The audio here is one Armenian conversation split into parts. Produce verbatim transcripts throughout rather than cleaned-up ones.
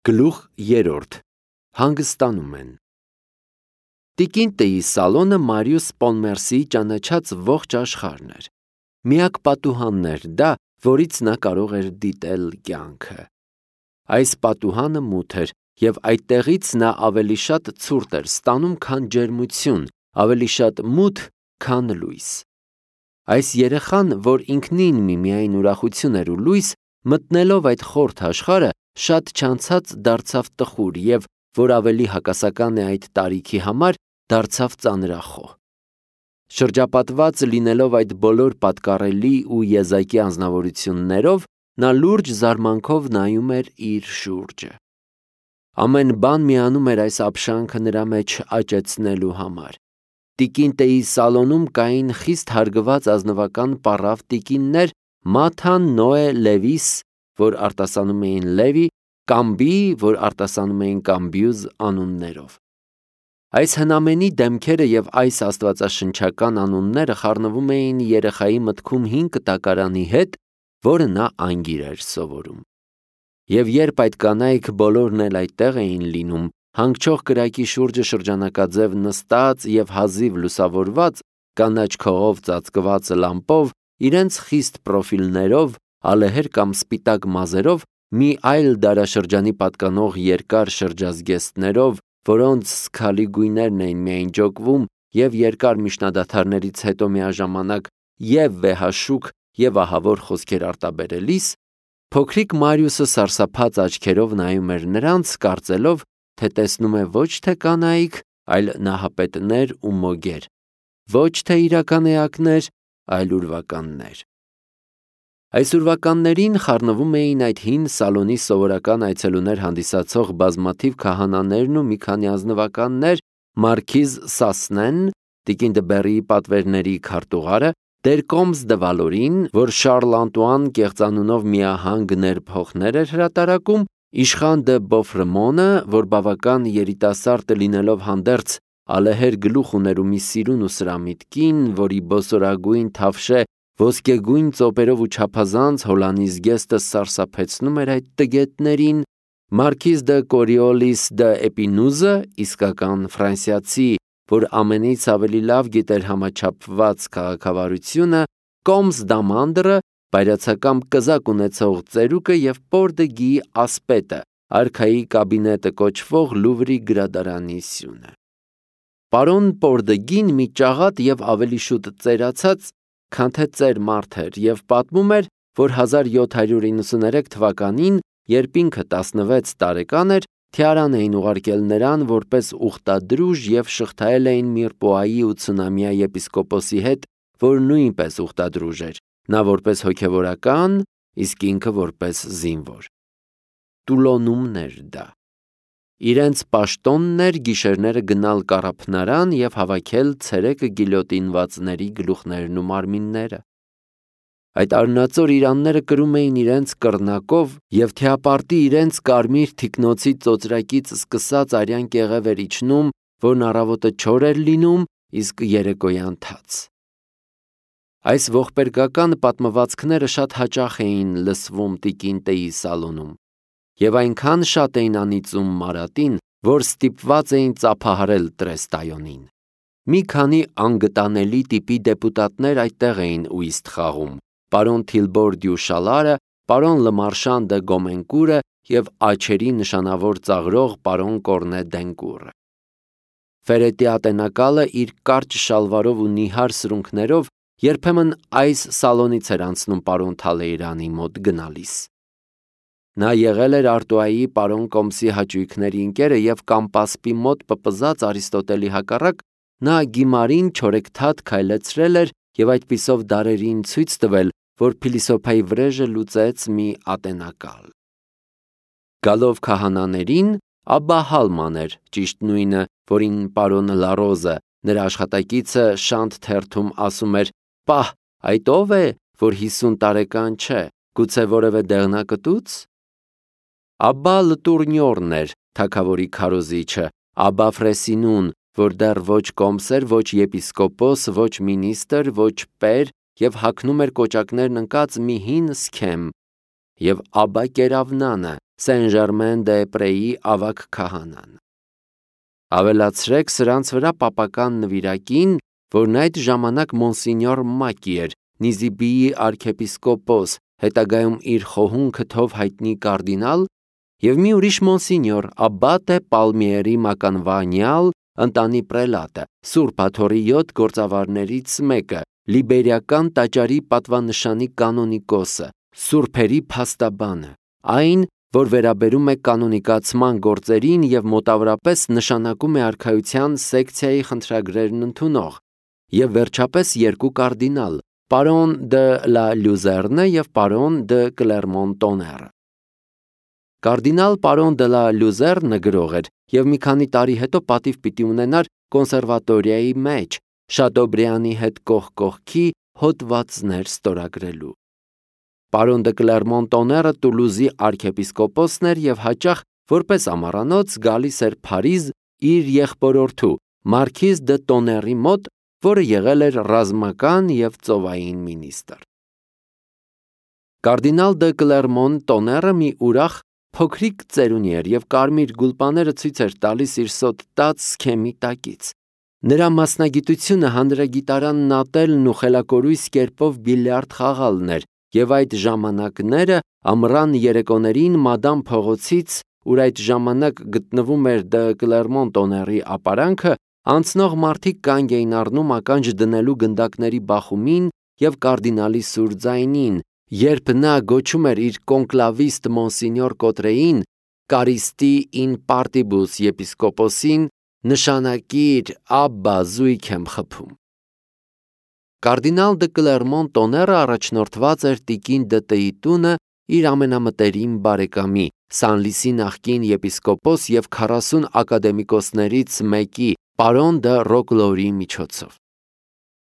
Գլուխ երրորդ. Հանգստանում են։ Տիկին Տեի սալոնը Մարիուս Պոնմերսիի ճանաչած ողջ աշխարհն էր։ Միակ պատուհանն էր դա, որից նա կարող էր դիտել կյանքը։ Այս պատուհանը մութ էր, և այդտեղից նա ավելի շատ ցուրտ էր ստանում, քան ջերմություն, ավելի շատ մութ, քան լույս։ Այս երեխան, որ ինքնին միմիայն ուրախություն էր ու լույս, մտնելով այդ խորթ աշխարհը, շատ չանցած դարձավ տխուր և, որ ավելի հակասական է այդ տարիքի համար, դարձավ ծանրախոհ։ Շրջապատված լինելով այդ բոլոր պատկառելի ու եզակի անձնավորություններով, նա լուրջ զարմանքով նայում էր իր շուրջը։ Ամեն բան միանում էր այս ապշանքը նրա մեջ աճեցնելու համար։ Տիկին Տեի սալոնում կային խիստ հարգված ազնվական պառավ տիկիններ Մաթան, Նոե, Լևիս, որ արտասանում էին Լևի, Կամբի, որ արտասանում էին Կամբյուզ անուններով։ Այս հնամենի դեմքերը և այս աստվածաշնչական անունները խառնվում էին երեխայի մտքում հին կտակարանի հետ, որը նա անգիր էր սովորում։ Եվ երբ այդ կանայք բոլորն էլ այդտեղ էին լինում, հանգչող կրակի շուրջը շրջանակաձև նստած և հազիվ լուսավորված, կանաչ քողով ծածկված լամպով, իրենց խիստ պրոֆիլներով, ալեհեր կամ սպիտակ մազերով, մի այլ դարաշրջանի պատկանող երկար շրջազգեստներով, որոնց սքալի գույներն էին միայն ջոկվում, և երկար միջնադադարներից հետո միաժամանակ և վեհաշուք, և ահավոր խոսքեր արտաբերելիս, փոքրիկ Մարիուսը սարսափած աչքերով նայում էր նրանց, կարծելով, թե տեսնում է ոչ թե կանայք, այլ նահապետներ ու մոգեր, ոչ թե իրական էակներ, այլ ուրվականներ։ Այս ուրվականներին խառնվում էին այդ հին սալոնի սովորական այցելուներ հանդիսացող բազմաթիվ քահանաներն ու մի քանի ազնվականներ, մարքիզ Սասնեն, տիկին Դբեռիի պատվերների քարտուղարը, տեր Կոմս դը Վալորին, որ Շարլ Անտուան կեղծանունով միահանգ ներփոխներ էր հրատարակում, իշխան դը Բոֆրեմոնը, որ բավական երիտասարդ լինելով հանդերձ, ալեհեր գլուխ ուներ ու մի սիրուն ու սրամիտ կին, որի բոսորագույն թավշե ոսկեգույն ծոպերով ու չափազանց հոլանի զգեստը սարսափեցնում էր այդ տգետներին, մարքիզ դը Կորիոլիս դը Էպինուզը, իսկական ֆրանսիացի, որ ամենից ավելի լավ գիտեր համաչափված քաղաքավարությունը, Կոմս դամանդրը, բայրացակամ կզակ ունեցող ծերուկը և Պոր դը Գիի ասպետը, արքայի կաբինետը կոչվող Լուվրի գրադարանի սյունը։ Պարոն Պոր դը Գին մի ճաղատ և ավելի շուտ ծերացած, քան թե ծեր մարդ էր և պատմում էր, որ հազար յոթ հարյուր իննսուներեք թվականին, երբ ինքը տասնվեց տարեկան էր, թիարան էին ուղարկել նրան որպես ուխտադրուժ և շղթայել էին Միրպոայի ու Ցունամիա եպիսկոպոսի հետ, որ նույնպես ուխտադրուժ էր, նա որպես հոգևորական, իսկ ինքը որպես զինվոր։ Տուլոնումն էր դա։ Իրենց պաշտոնն էր գիշերները գնալ կառափնարան և հավաքել ցերեկը գիլյոտինվածների գլուխներն ու մարմինները։ Այդ արնածոր իրանները կրում էին իրենց կռնակով և թիապարտի իրենց կարմիր թիկնոցի ծոծրակից սկսած արյան կեղև էր իջնում, որն առավոտը չոր էր լինում, իսկ երեկոյան թաց։ Այս ողբերգական պատմվածքները շատ հաճախ էին լսվում տիկին Տեի սալոնում, և այնքան շատ էին անիծում Մարատին, որ ստիպված էին ծափահարել Տրեստայոնին։ Մի քանի անգտանելի տիպի դեպուտատներ այդտեղ էին ուիստ խաղում, պարոն Թիլբոր դյու Շալարը, պարոն Լմարշան դը Գոմենկուրը և աջերի նշանավոր ծաղրող պարոն Կորնե Դենկուրը։ Ֆերետի ատենակալը իր կարճ շալվարով ու նիհար սրունքներով երբեմն այս սալոնից էր անցնում պարոն Թալեյրանի մոտ գնալիս։ Նա եղել էր Արտուայի պարոն Կոմսի հաճույքների ընկերը և Կամպասպի մոտ պպզած Արիստոտելի հակառակ, նա գիմարին չորեքթաթ քայլեցրել էր և այդպիսով դարերին ցույց տվել, որ փիլիսոփայի վրեժը լուծեց մի ատենակալ։ Գալով քահանաներին, Աբբա Հալման էր, ճիշտ նույնը, որին պարոն Լարոզը, նրա աշխատակիցը, շանթ թերթում ասում էր. «Պահ, այդ ո՞վ է, որ հիսուն տարեկան չէ, գուցե որևէ դեղնակտուց»։ Աբբա Լտուրնյորն էր, թագավորի քարոզիչը, Աբբա Ֆրեսինուն, որ դեռ ոչ կոմս էր, ոչ եպիսկոպոս, ոչ մինістր, ոչ պեր և հագնում էր կոճակներն ընկած մի հին սքեմ, և Աբա Կերավնանը, Սեն-Ժերմեն-դե-Պրեի ավագ քահանան։ Ավելացրեք սրանց վրա պապական նվիրակին, որն այդ ժամանակ Մոնսինյոր Մակի էր, Նիզիբիի արքեպիսկոպոս, հետագայում իր խոհուն քթով հայտնի կարդինալ, և մի ուրիշ Մոնսինյոր Աբբատե Պալմիերի մականվանյալ, ընտանի պրելատը, Սուրբ Աթոռի յոթ գործավարներից մեկը, Լիբերիական տաճարի պատվանշանի կանոնիկոսը, սուրբերի փաստաբանը, այն, որ վերաբերում է կանոնիկացման գործերին և մոտավորապես նշանակում է արքայության սեկցիայի խնդրագրերն ընդունող, և վերջապես երկու կարդինալ, պարոն դը լա Լյուզեռնը և պարոն դը Կլերմոն-Տոները։ Կարդինալ պարոն դը լա Լյուզեռնը գրող էր և մի քանի տարի հետո պատիվ պիտի ունենար կոնսերվատորիայի մեջ Շատոբրիանի հետ կողք կողքի հոդվածներ ստորագրելու։ Պարոն դը Կլերմոն-Տոները Տուլուզի արքեպիսկոպոսն էր և հաճախ որպես ամառանոց գալիս էր Փարիզ իր եղբորորդու Մարքիզ դը Տոների մոտ, որը եղել էր ռազմական և ծովային մինիստրը։ Կարդինալ դը Կլերմոն-Տոները մի ուրախ փոքրիկ ծերունի էր և կարմիր գուլպաները ցույց էր տալիս իր սոթ տած սքեմի տակից։ Նրա մասնագիտությունը հանրագիտարանն ատելն ու խելակորույս կերպով բիլիարդ խաղալն էր, և այդ ժամանակները ամռան երեկոներին Մադամ փողոցից, ուր այդ ժամանակ գտնվում էր դը Կլերմոն-Տոների ապարանքը, անցնող մարդիկ կանգ էին առնում ականջ դնելու գնդակների բախումին և կարդինալի սուր ձայնին, երբ նա գոչում էր իր կոնկլավիստ Մոնսինյոր Կոտրեին, կարիստի in partibus եպիսկոպոսին, նշանակիր Աբբա, զույգ եմ խփում։ Կարդինալ դը Կլերմոն-Տոները առաջնորդված էր տիկին դը Տ-ի տունը իր ամենամտերիմ բարեկամի, Սանլիսի նախկին եպիսկոպոս և քառասուն ակադեմիկոսներից մեկի, պարոն դը Ռոկլորի միջոցով։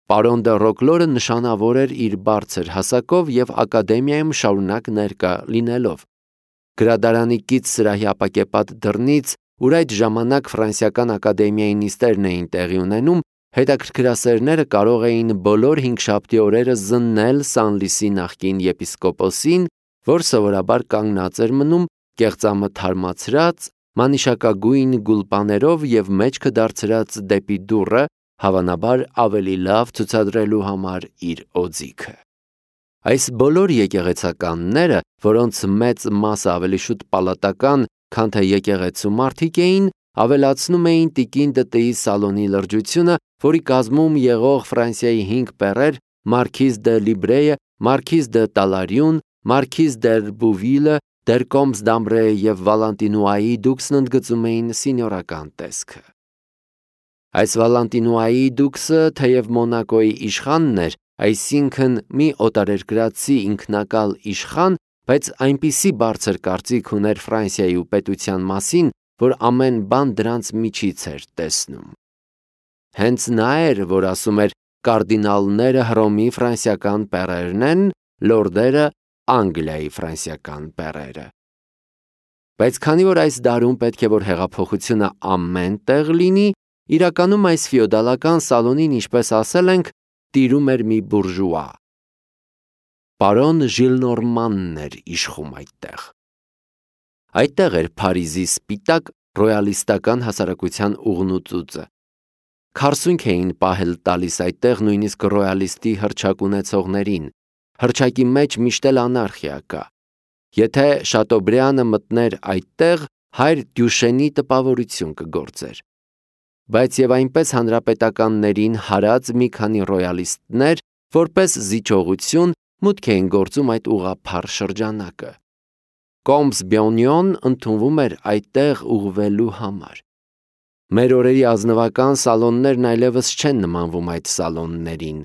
Պարոն դը Ռոկլորը նշանավոր էր իր բարձր հասակով և ակադեմիայում շարունակ ներկա լինելով։ Գրադարանի կից սրահի ապակեպատ դռնից, ուր այդ ժամանակ Ֆրանսիական ակադեմիայի նիստերն էին տեղի ունենում, հետաքրքրասերները կարող էին բոլոր հինգշաբթի օրերը զննել Սանլիսի նախկին եպիսկոպոսին, որ սովորաբար կանգնած էր մնում, կեղծամը թարմացրած, մանիշակագույն գուլպաներով և մեջքը դարձրած դեպի դուռը, հավանաբար ավելի լավ ցուցադրելու համար իր օձիքը։ Այս բոլոր եկեղեցականները, որոնց մեծ մասը ավելի շուտ պալատական, քան թե եկեղեցու մարդիկ էին, ավելացնում էին տիկին դը Տ-ի սալոնի լրջությունը, որի կազմում եղող Ֆրանսիայի հինգ պերեր՝ Մարքիզ դը Լիբրեյը, Մարքիզ դը Տալարյուն, Մարքիզ դեր Բուվիլը, դեր Կոմս դամբրեյը և Վալանտինուայի դուքսն ընդգծում էին սինյորական տեսքը։ Այս Վալանտինուայի դուքսը թեև Մոնակոյի իշխանն էր, այսինքն մի օտարերկրացի ինքնակալ իշխան, բայց այնպիսի բարձր կարծիք ուներ Ֆրանսիայի ու պետության մասին, որ ամեն բան դրանց միջից էր տեսնում։ Հենց նա էր, որ ասում էր կարդինալները Հռոմի ֆրանսիական պերերն են, լորդերը Անգլիայի ֆրանսիական պերերը։ Բայց քանի որ այս դարում պետք է որ հեղափոխությունը ամեն տեղ լինի, իրականում այս ֆեոդալական սալոնին, ինչպես ասել ենք, տիրում էր մի բուրժուա։ Պարոն Ժիլնորմանն էր իշխում այդտեղ։ Այդտեղ էր Փարիզի սպիտակ ռոյալիստական հասարակության ուղնուծուծը։ Քարսունք էին պահել տալիս այդտեղ նույնիսկ ռոյալիստի հռչակ ունեցողներին։ Հռչակի մեջ միշտ էլ անարխիա կա։ Եթե Շատոբրիանը մտներ այդտեղ, հայր Դյուշենի տպավորություն կգործեր։ Բայց և այնպես հանրապետականներին հարած մի քանի ռոյալիստներ, որպես զիջողություն, մուտք էին գործում այդ ուղղափառ շրջանակը։ Կոմս Բյոնյոն ընդունվում էր այդտեղ ուղղվելու համար։ Մեր օրերի ազնվական սալոններն այլևս չեն նմանվում այդ սալոններին։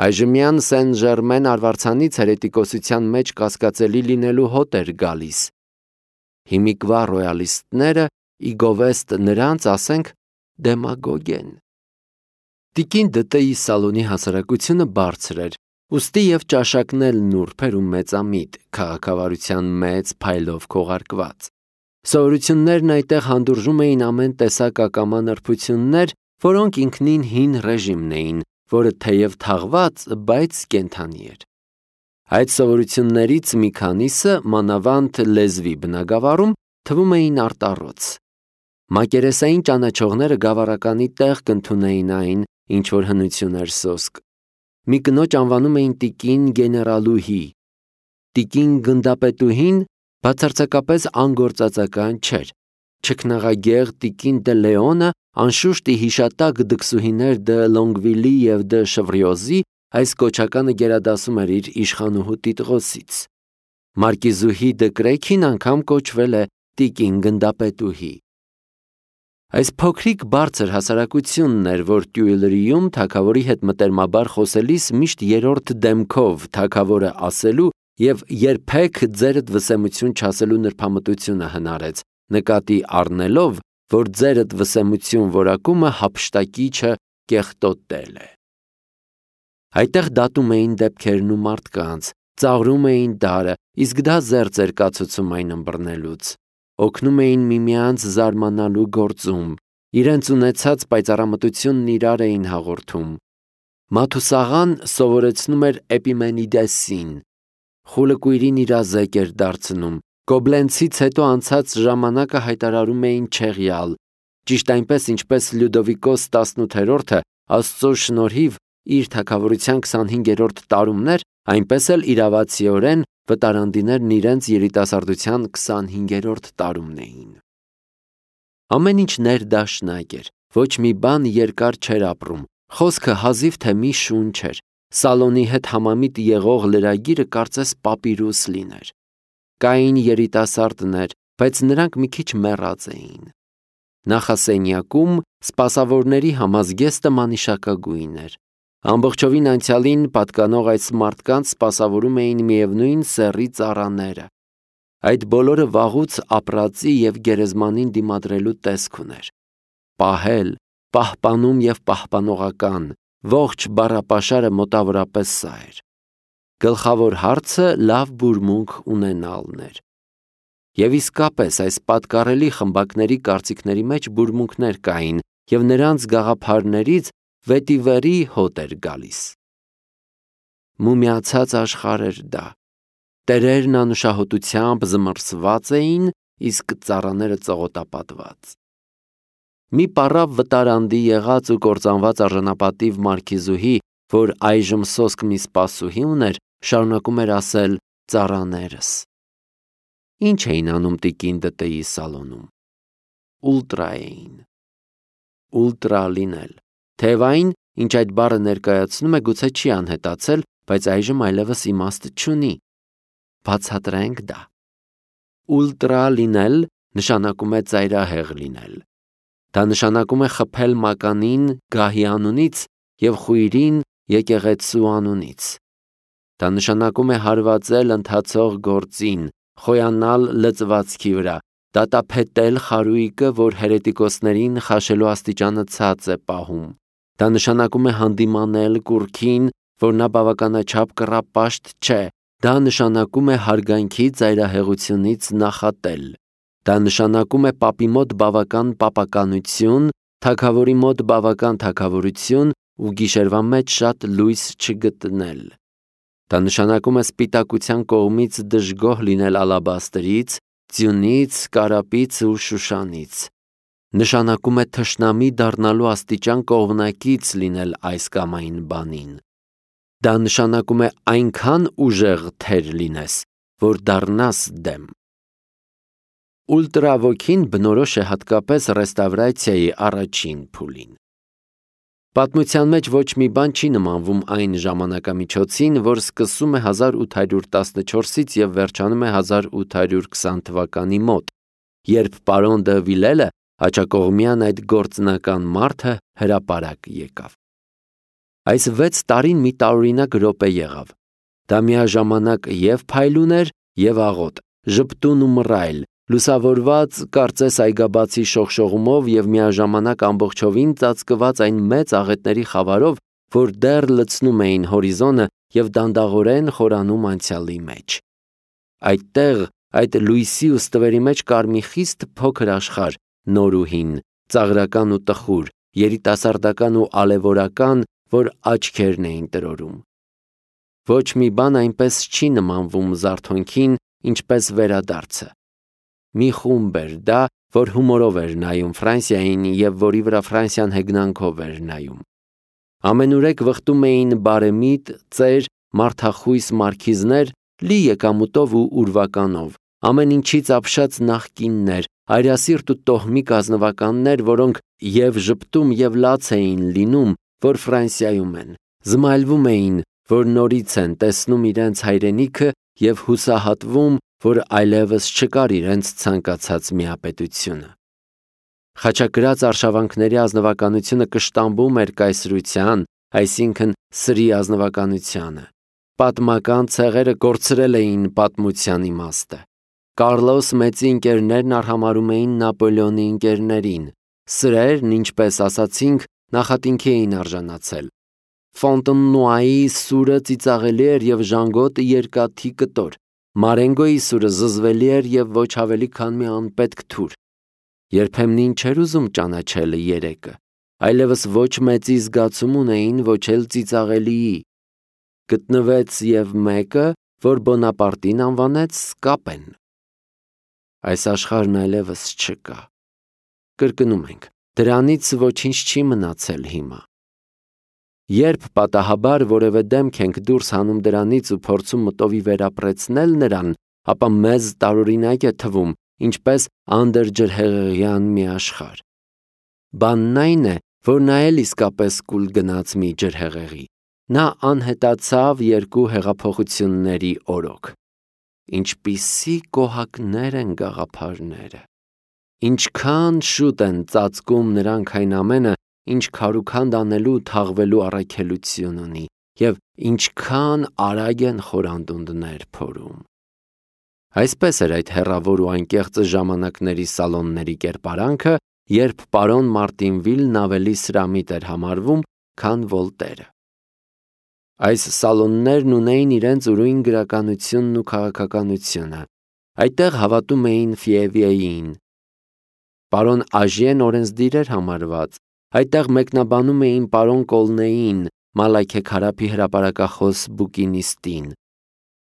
Այժմյան Սեն-Ժերմեն արվարձանից հերետիկոսության մեջ կասկածելի լինելու հոտ էր գալիս։ Հիմիկվա ռոյալիստները ի գովեստ նրանց, ասենք, դեմագոգ են։ Տիկին դը Տ-ի սալոնի հասարակությունը բարձր էր, ուստի և ճաշակն էլ նուրբ էր ու մեծամիտ, քաղաքավարության մեծ փայլով քողարկված։ Սովորություններն այդտեղ հանդուրժում էին ամեն տեսակ ակամա նրբություններ, որոնք ինքնին հին ռեժիմն էին, որը թեև թաղված, բայց կենդանի էր։ Այդ սովորություններից մի քանիսը, մանավանդ լեզվի բնագավառում, թվում էին արտառոց։ Մակերեսային ճանաչողները գավառականի տեղ կընդունեին այն, ինչ որ հնություն էր սոսկ։ Մի կնոջ անվանում էին տիկին գեներալուհի։ Տիկին գնդապետուհին բացարձակապես անգործածական չէր։ Չքնաղագեղ տիկին դե Լեոնը անշուշտ ի հիշատակ դքսուհիներ դե Լոնգվիլի և դե Շվրիոզի այս կոչականը գերադասում էր իր իշխանուհու տիտղոսից։ Մարկիզուհի դե Կրեքին անգամ կոչվել է տիկին գնդապետուհի։ Այս փոքրիկ բարձր հասարակությունն էր, որ Տյուիլրիում թագավորի հետ մտերմաբար խոսելիս միշտ երրորդ դեմքով թագավորը ասելու և երբեք ձերդ վսեմություն չասելու նրբամտությունը հնարեց, նկատի առնելով, որ ձերդ վսեմություն որակումը հափշտակիչը կեղտոտել է։ Այդտեղ դատում էին դեպքերն ու մարդկանց, ծաղրում էին դարը, իսկ դա զերծ էր կացուցում այն ըմբռնելուց։ Օգնում էին միմյանց զարմանալու գործում, իրենց ունեցած պայծառամտությունն իրար էին հաղորդում։ Մաթուսաղան սովորեցնում էր Էպիմենիդեսին, խուլը կույրին իրազեկ էր դարձնում, Կոբլենցից հետո անցած ժամանակը հայտարարում էին չեղյալ, ճիշտ այնպես, ինչպես Լյուդովիկոս տասնութերորդը Աստծո շնորհիվ իր թագավորության քսանհինգերորդ տարումներ, այնպես էլ իրավացիորեն վտարանդիներն իրենց երիտասարդության քսանհինգերորդ տարումն էին։ Ամեն ինչ ներդաշնակ էր, ոչ մի բան երկար չէր ապրում, խոսքը հազիվ թե մի շունչ էր, Սալոնի հետ համամիտ եղող լրագիրը կարծես պապիրուս լիներ։ Կային երիտասարդներ, բայց նրանք մի քիչ մեռած էին։ Նախասենյակում սպասավորների համազգեստը մանիշակագույն էր։ Ամբողջովին անցյալին պատկանող այս մարդկանց սպասավորում էին միևնույն սեռի ծառաները։ Այդ բոլորը վաղուց ապրածի և գերեզմանին դիմադրելու տեսք ուներ։ Պահել, պահպանում և պահպանողական, ողջ բառապաշարը մոտավորապես սա էր։ Գլխավոր հարցը լավ բուրմունք ունենալն էր։ Եվ իսկապես այս պատկառելի խմբակների կարծիքների մեջ բուրմունքներ կային, և նրանց գաղափարներից վետիվերի հոտ էր գալիս։ Մումիացած աշխարհ էր դա։ Տերերն անուշահոտությամբ զմռսված էին, իսկ ծառաները ծղոտապատված։ Մի պառավ վտարանդի եղած ու կործանված արժանապատիվ մարքիզուհի, որ այժմ սոսկ մի սպասուհի ուներ, շարունակում էր ասել ծառաներս։ Ինչ էին անում տիկին դտեի սալոնում։ Ուլտրա էին։ Ուլտրա լինել։ Թեև այն, ինչ այդ բառը ներկայացնում է, գուցե չի անհետացել, բայց այժմ այլևս իմաստ չունի։ Բացատրենք դա։ Ուլտրա լինել նշանակում է ծայրահեղ լինել։ Դա նշանակում է խփել մականին գահի անունից և խույրին եկեղեցու անունից։ Դա նշանակում է հարվածել ընթացող գործին, խոյանալ լծվածքի վրա, դատապետել խարույկը, որ հերետիկոսներին խաշելու աստիճանը ցած է պահում։ Դա նշանակում է հանդիմանել կուռքին, որ նա բավականաչափ կռապաշտ չէ։ Դա նշանակում է հարգանքի ծայրահեղությունից նախատել։ Դա նշանակում է պապի մոտ բավական պապականություն, թագավորի մոտ բավական թագավորություն ու գիշերվա մեջ շատ լույս չգտնել։ Դա նշանակում է սպիտակության կողմից դժգոհ լինել ալաբաստրից, ձյունից, կարապից ու շուշանից։ Նշանակում է թշնամի դառնալու աստիճան կողմնակից լինել այս կամ այն բանին։ Դա նշանակում է այնքան ուժեղ թեր լինես, որ դառնաս դեմ։ Ուլտրավոքին բնորոշ է հատկապես ռեստավրացիայի առաջին փուլին։ Պատմության մեջ ոչ մի բան չի նմանվում այն ժամանակամիջոցին, որ սկսում է հազար ութ հարյուր տասնչորսից և վերջանում է հազար ութ հարյուր քսան թվականի մոտ, երբ պարոն դը Վիլելը աջակողմյան այդ գործնական մարդը հրապարակ եկավ։ Այս վեց տարին մի տարօրինակ րոպե եղավ։ Դա միաժամանակ և փայլուն էր, և աղոտ, ժպտուն ու մռայլ, լուսավորված կարծես այգաբացի շողշողումով և միաժամանակ ամբողջովին ծածկված այն մեծ աղետների խավարով, որ դեռ լցնում էին հորիզոնը և դանդաղորեն խորանում անցյալի մեջ։ Այդտեղ, այդ լույսի ու ստվերի մեջ կար մի խիստ փոքր աշխարհ, նոր ու հին, ծաղրական ու տխուր, երիտասարդական ու ալևորական, որ աչքերն էին տրորում։ Ոչ մի բան այնպես չի նմանվում զարթոնքին, ինչպես վերադարձը։ Մի խումբ էր դա, որ հումորով էր նայում Ֆրանսիային և որի վրա Ֆրանսիան հեգնանքով էր նայում։ Ամենուրեք վխտում էին բարեմիտ, ծեր, մարդախույս մարքիզներ, լի եկամուտով ու ուրվականով, ամեն ինչից ապշած նախկիններ, այրասիրտ ու տոհմիկ ազնվականներ, որոնք և ժպտում և լաց էին լինում, որ Ֆրանսիայում են, զմայլվում էին, որ նորից են տեսնում իրենց հայրենիքը և հուսահատվում, որ այլևս չկար իրենց ցանկացած միապետությունը։ Խաչակրաց արշավանքների ազնվականությունը կշտամբում էր կայսրության, այսինքն սրի ազնվականությանը։ Պատմական ցեղերը կորցրել էին պատմության իմաստը։ Կարլոս մեծի ընկերներն արհամարհում էին Նապոլեոնի ընկերներին։ Սրերն, ինչպես ասացինք, նախատինքի էին արժանացել։ Ֆոնտենուայի սուրը ծիծաղելի էր և ժանգոտը երկաթի կտոր։ Մարենգոյի սուրը զզվելի էր և ոչ ավելի քան մի անպետք թուր։ Երբեմնին չէր ուզում ճանաչել երեկը, այլևս ոչ մեծի զգացում ունեին, ոչ էլ ծիծաղելիի։ Գտնվեց և մեկը, որ Բոնապարտին անվանեց Սկապեն։ Այս աշխարհն այլևս չկա։ Կրկնում ենք, դրանից ոչինչ չի մնացել հիմա։ Երբ պատահաբար որևէ դեմք ենք դուրս հանում դրանից ու փորձում մտովի վերապրեցնել նրան, ապա մեզ տարօրինակ է թվում, ինչպես անդրջրհեղեղյան մի աշխարհ։ Բանն այն է, որ նա էլ իսկապես կուլ գնաց մի ջրհեղեղի։ Նա անհետացավ երկու հեղափոխությունների օրոք։ Ինչպիսի կոհակներ են գաղափարները։ Ինչքան շուտ են ծածկում նրանք այն ամենը, ինչ քարուքանդ անելու ու թաղվելու առաքելություն ունի, և ինչքան արագ են խորանդունդներ փորում։ Այսպես էր այդ հեռավոր ու անկեղծ ժամանակների սալոնների կերպարանքը, երբ պարոն Մարտինվիլն ավելի սրամիտ էր համարվում, քան Վոլտերը։ Այս սալոններն ունեին իրենց ուրույն գրականությունն ու քաղաքականությունը։ Այդտեղ հավատում էին Ֆիևիեին։ Պարոն Աժիեն օրենսդիր էր համարված։ Այդտեղ մեկնաբանում էին պարոն Կոլնեին, Մալաքե Քարափի հրապարակախոս բուկինիստին։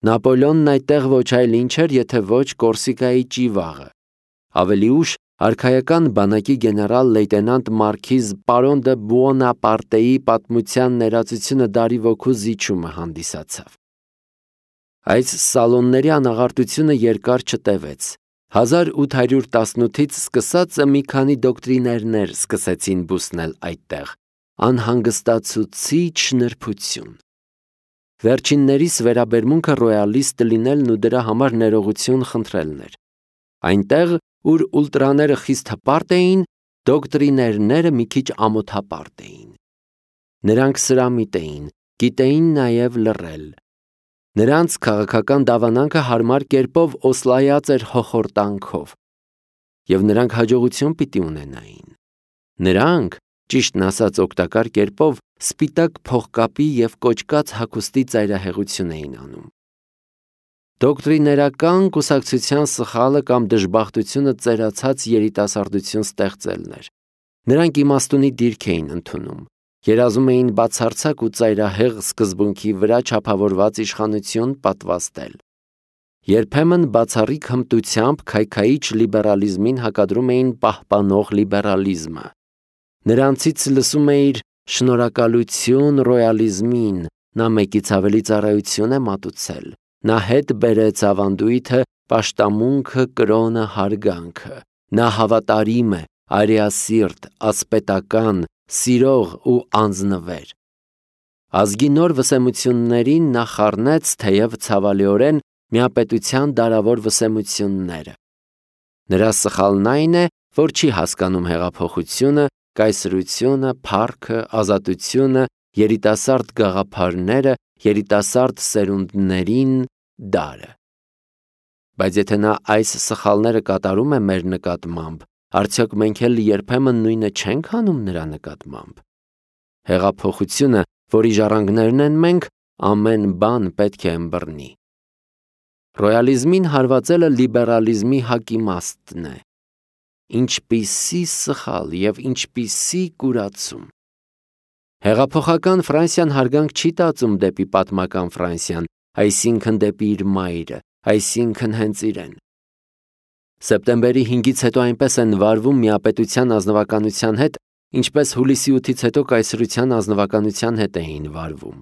Նապոլեոնն այդտեղ ոչ այլ ինչ էր, եթե ոչ Կորսիկայի ճիվաղը։ Ավելի ուշ արքայական բանակի գեներալ-լեյտենանտ մարքիզ պարոն դը Բուոնապարտեի պատմության ներածությունը դարի ոգու զիջումը հանդիսացավ։ Այս սալոնների անաղարտությունը երկար չտևեց։ հազար ութ հարյուր տասնութից սկսած մի քանի դոկտրիներներ սկսեցին բուսնել այդտեղ։ Անհանգստացուցիչ նրբություն։ Վերջիններիս վերաբերմունքը ռոյալիստ լինելն ու դրա համար ներողություն խնդրելն էր։ Այնտեղ, ուր ուլտրաները խիստ հպարտ էին, դոկտրիներները մի քիչ ամոթապարտ էին։ Նրանք սրամիտ էին, գիտեին նաև լռել։ Նրանց քաղաքական դավանանքը հարմար կերպով օսլայած էր հոխորտանքով, և նրանք հաջողություն պիտի ունենային։ Նրանք, ճիշտն ասած օգտակար կերպով, սպիտակ փողկապի և կոճկած հագուստի ծայրահեղություն էին անում։ Դոկտրիներական կուսակցության սխալը կամ դժբախտությունը ծերացած երիտասարդություն ստեղծելն էր։ Նրանք իմաստունի դիրք էին ընդունում։ Երազում էին բացարձակ ու ծայրահեղ սկզբունքի վրա չափավորված իշխանություն պատվաստել։ Երբեմն բացառիկ հմտությամբ քայքայիչ լիբերալիզմին հակադրում էին պահպանող լիբերալիզմը։ Նրանցից լսում էիր «Շնորհակալություն ռոյալիզմին, նա մեկից ավելի ծառայություն է մատուցել, նա հետ բերեց ավանդույթը, պաշտամունքը, կրոնը, հարգանքը, նա հավատարիմ է, արիասիրտ, ասպետական, սիրող ու անձնվեր»։ Ազգի նոր վսեմություններին նա խառնեց, թեև ցավալիորեն, միապետության դարավոր վսեմությունները։ Նրա սխալն այն է, որ չի հասկանում հեղափոխությունը, կայսրությունը, փառքը, ազատությունը, երիտասարդ գաղափարները, երիտասարդ սերունդներին, դարը։ Բայց եթե նա այս սխալները կատարում է մեր նկատմամբ, արդյոք մենք էլ երբեմն նույնը չենք անում նրա նկատմամբ։ Հեղափոխությունը, որի ժառանգներն են մենք, ամեն բան պետք է ըմբռնի։ Ռոյալիզմին հարվածելը լիբերալիզմի հակիմաստն է։ Ինչպիսի սխալ և ինչպիսի կուրացում։ Հեղափոխական Ֆրանսիան հարգանք չի տածում դեպի պատմական Ֆրանսիան, այսինքն դեպի իր մայրը, այսինքն հենց իրեն։ Սեպտեմբերի հինգից հետո այնպես են վարվում միապետության ազնվականության հետ, ինչպես հուլիսի ութից հետո կայսրության ազնվականության հետ էին վարվում։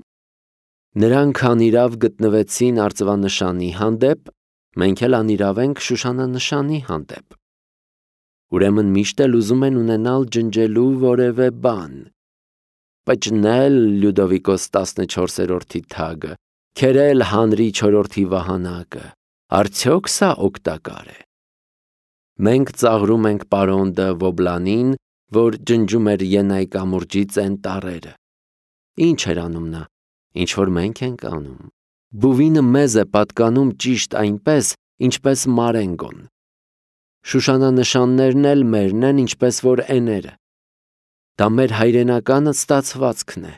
Նրանք անիրավ գտնվեցին արծվանշանի հանդեպ, մենք էլ անիրավ ենք շուշանանշանի հանդեպ։ Ուրեմն միշտ էլ ուզում են ունենալ ջնջելու որևէ բան։ Պճնել Լյուդովիկոս տասնչորսերորդի թագը, քերել Հանրի չորրորդի վահանակը, արդյոք սա օգտակար է։ Մենք ծաղրում ենք պարոն դը Վոբլանին, որ ջնջում էր Ենայի կամուրջի ծեն տառերը։ Ինչ էր անում նա, ինչ որ մենք ենք անում։ Բուվինը մեզ է պատկանում ճիշտ այնպես, ինչպես Մարենգոն։ Շուշանանշաններն էլ մերն են, ինչպես որ էները։ Դա մեր հայրենական ստացվածքն է։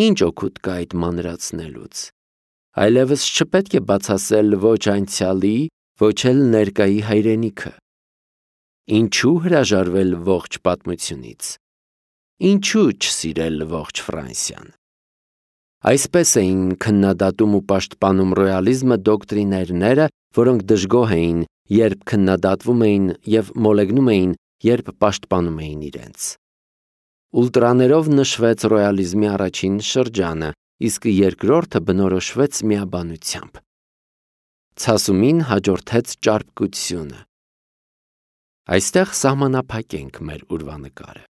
Ինչ օգուտ կա այդ մանրացնելուց։ Այլևս չպետք է բացասել ոչ անցյալի, ոչ էլ ներկայի հայրենիքը։ Ինչու հրաժարվել ողջ պատմությունից։ Ինչու չսիրել ողջ Ֆրանսիան։ Այսպես էին քննադատում ու պաշտպանում ռոյալիզմը դոկտրիներները, որոնք դժգոհ էին, երբ քննադատվում էին եւ մոլեգնում էին, երբ պաշտպանում էին իրենց։ Ուլտրաներով նշվեց ռոյալիզմի առաջին շրջանը, իսկ երկրորդը բնորոշվեց միաբանությամբ։ Ցասումին հաջորդեց ճարպկությունը։ Այստեղ սահմանափակենք մեր ուրվանկարը։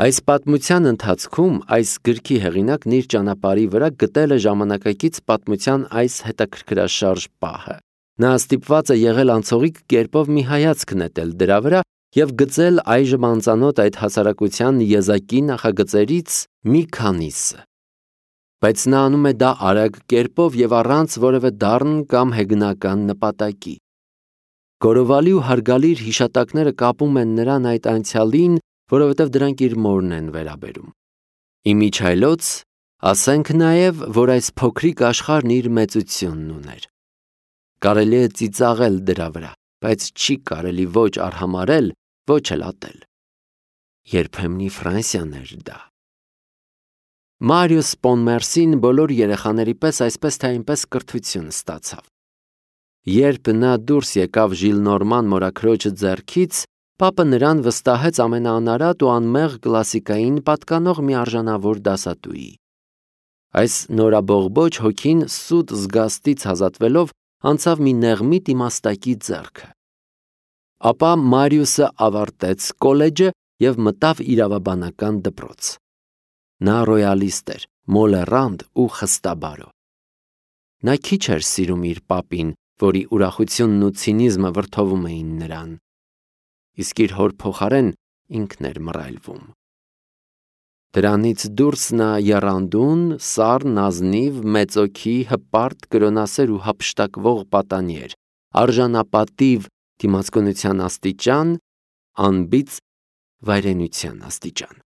Այս պատմության ընթացքում այս գրքի հեղինակն իր ճանապարհի վրա գտել է ժամանակակից պատմության այս հետաքրքրաշարժ պահը։ Նա ստիպված է եղել անցողիկ կերպով մի հայացք նետել դրա վրա և գծել այժմ անծանոթ այդ հասարակության եզակի նախագծերից մի քանիսը։ Բայց նա անում է դա արագ կերպով և առանց որևէ դառն կամ հեգնական նպատակի։ Գորովալի ու հարգալիր հիշատակները կապում են նրան այդ անցյալին, որովհետև դրանք իր մորն են վերաբերում։ Իմիջայլոց ասենք նաև, որ այս փոքրիկ աշխարհն իր մեծությունն ուներ։ Կարելի է ծիծաղել դրա վրա, բայց չի կարելի ոչ արհամարհել, ոչ էլ ատել։ Երբեմնի Ֆրանսիան էր դա։ Մարիուս Պոնմերսին բոլոր երեխաների պես այսպես թե այնպես կրթություն ստացավ։ Երբ նա դուրս եկավ Ժիլնորման մորաքրոջը ձեռքից, պապը նրան վստահեց ամենաանարատ ու անմեղ կլասիկային պատկանող մի արժանավոր դասատուի։ Այս նորաբողբոջ հոգին սուտ զգաստից ազատվելով անցավ մի նեղմիտ իմաստակի ձեռքը։ Ապա Մարիուսը ավարտեց կոլեջը և մտավ իրավաբանական դպրոց։ Նա ռոյալիստ էր, մոլեռանդ ու խստաբարո։ Նա քիչ էր սիրում իր պապին, որի ուրախությունն ու ցինիզմը վրդովում էին նրան, իսկ իր հոր փոխարեն ինքն էր մռայլվում։ Դրանից դուրս նա եռանդուն, սառն, ազնիվ, մեծօքի, հպարտ, կրոնասեր ու հափշտակվող պատանի էր, արժանապատիվ դիմացկունության աստիճան, անբիծ վայրենության աստիճան։